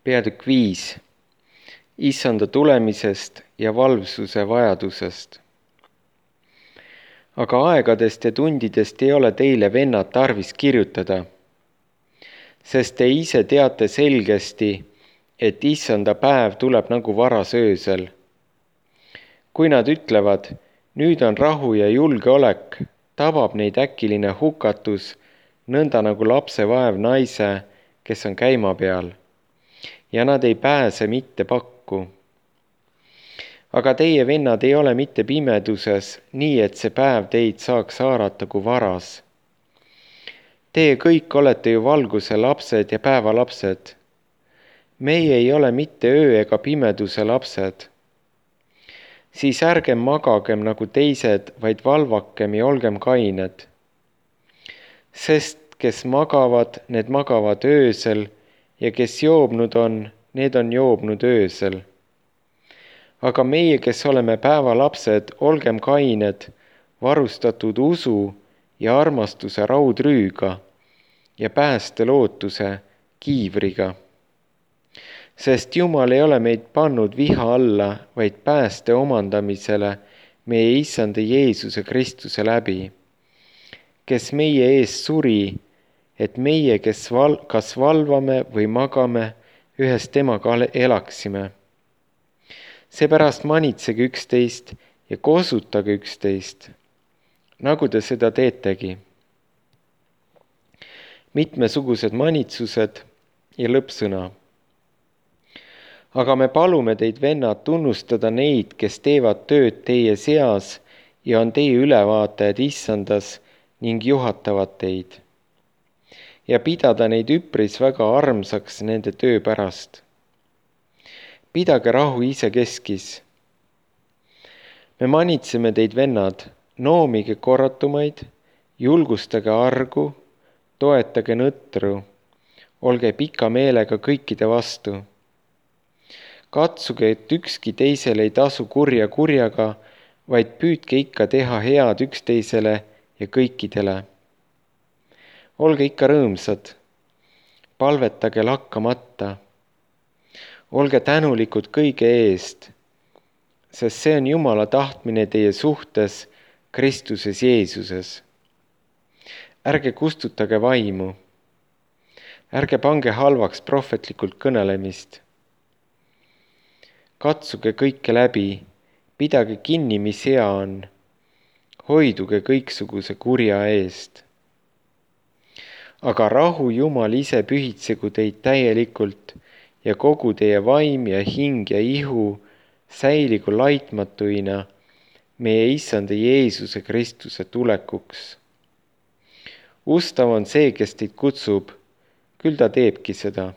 Peatükk 5. Issanda tulemisest ja valvsuse vajadusest. Aga aegadest ja tundidest ei ole teile, vennad, tarvis kirjutada, sest te ise teate selgesti, et issanda päev tuleb nagu varas öösel. Kui nad ütlevad, nüüd on rahu ja julgeolek, tabab neid äkiline hukatus, nõnda nagu lapse vaev naise, kes on käima peal, ja nad ei pääse mitte pakku. Aga teie, vennad, ei ole mitte pimeduses, nii et see päev teid saaks haarata kui varas. Teie kõik olete ju valguse lapsed ja päeva lapsed. Meie ei ole mitte öö ega pimeduse lapsed. Siis ärgem magagem nagu teised, vaid valvakem ja olgem kained. Sest kes magavad, need magavad öösel, ja kes joobnud on, need on joobnud öösel. Aga meie, kes oleme päevalapsed, olgem kained, varustatud usu ja armastuse raudrüüga ja päästelootuse kiivriga. Sest Jumal ei ole meid pannud viha alla, vaid pääste omandamisele meie Issanda Jeesuse Kristuse läbi, kes meie eest suri, et meie, kes kas valvame või magame, ühes temaga elaksime. Seepärast manitsege üksteist ja kosutage üksteist, nagu te seda teetegi. Mitmesugused manitsused ja lõppsõna. Aga me palume teid, vennad, tunnustada neid, kes teevad tööd teie seas ja on teie ülevaatajad issandas ning juhatavad teid. Ja pidada neid üpris väga armsaks nende töö pärast. Pidage rahu isekeskis. Me manitseme teid, vennad, noomige korratumaid, julgustage argu, toetage nõtru, olge pika meelega kõikide vastu. Katsuge, et ükski teisele ei tasu kurja kurjaga, vaid püüdke ikka teha head üksteisele ja kõikidele. Olge ikka rõõmsad, palvetage lakkamata. Olge tänulikud kõige eest, sest see on Jumala tahtmine teie suhtes Kristuses Jeesuses. Ärge kustutage vaimu. Ärge pange halvaks prohvetlikult kõnelemist. Katsuge kõike läbi, pidage kinni, mis hea on. Hoiduge kõiksuguse kurja eest. Aga rahu Jumal ise pühitsegu teid täielikult ja kogu teie vaim ja hing ja ihu säiligu laitmatuina meie Issanda Jeesuse Kristuse tulekuks. Ustav on see, kes teid kutsub, küll ta teebki seda.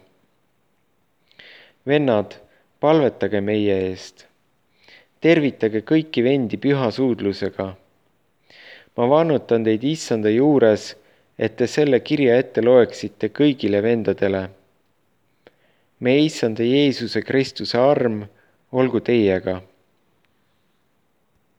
Vennad, palvetage meie eest. Tervitage kõiki vendi püha suudlusega. Ma vannutan teid Issanda juures, et te selle kirja ette loeksite kõigile vendadele. Meie Issanda Jeesuse Kristuse arm olgu teiega.